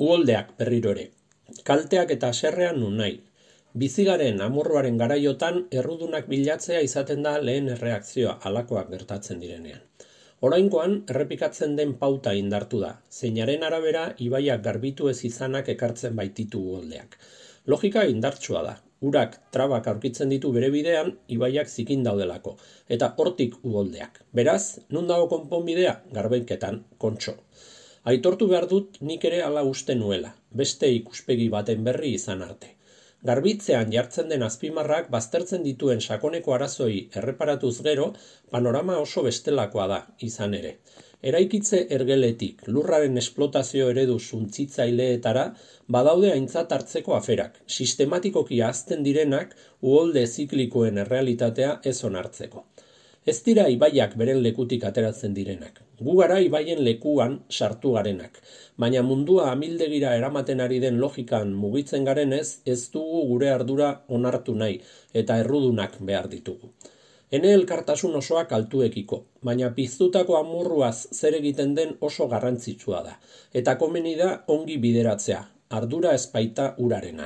Uholdeak berriro ere. Kalteak eta haserrean nun nahi. Bizigaren amorruaren garaiotan errudunak bilatzea izaten da lehen erreakzioa halakoak gertatzen direnean. Oraingoan errepikatzen den pauta indartu da, zeinaren arabera ibaiak garbitu ez izanak ekartzen baititu uholdeak. Logika indartsua da. Urak trabak aurkitzen ditu bere bidean, ibaiak zikin daudelako, eta hortik uholdeak. Beraz, nun dago konponbidea? Garbaiketan, kontxo. Aitortu behar dut nik ere hala uste nuela, beste ikuspegi baten berri izan arte. Garbitzean jartzen den azpimarrak baztertzen dituen sakoneko arazoi erreparatuz gero, panorama oso bestelakoa da, izan ere. Eraikitze ergeletik, lurraren esplotazio eredu suntsitzaileetara, badaude aintzat hartzeko aferak, sistematikoki ahazten direnak uholde ziklikoen errealitatea ez onartzeko. Ez dira ibaiak beren lekutik ateratzen direnak. Gu gara ibaien lekuan sartu garenak, baina mundua amildegira eramaten ari den logikan mugitzen garenez, ez dugu gure ardura onartu nahi eta errudunak behar ditugu. Ene elkartasun osoak altuekiko, baina piztutako amurruaz zer egiten den oso garrantzitsua da, eta komeni da ongi bideratzea, ardura ez baita urarena.